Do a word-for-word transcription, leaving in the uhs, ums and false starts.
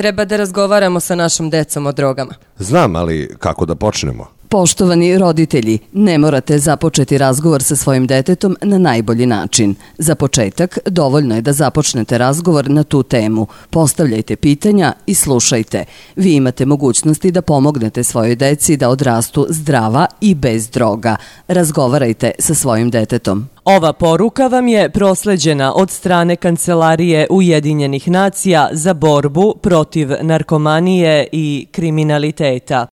Treba da razgovaramo sa našom decom o drogama. Znam, ali kako da počnemo? Poštovani roditelji, ne morate započeti razgovor sa svojim detetom na najbolji način. Za početak, dovoljno je da započnete razgovor na tu temu. Postavljajte pitanja i slušajte. Vi imate mogućnosti da pomognete svojoj deci da odrastu zdrava i bez droga. Razgovarajte sa svojim detetom. Ova poruka vam je prosleđena od strane Kancelarije Ujedinjenih nacija za borbu protiv narkomanije i kriminaliteta.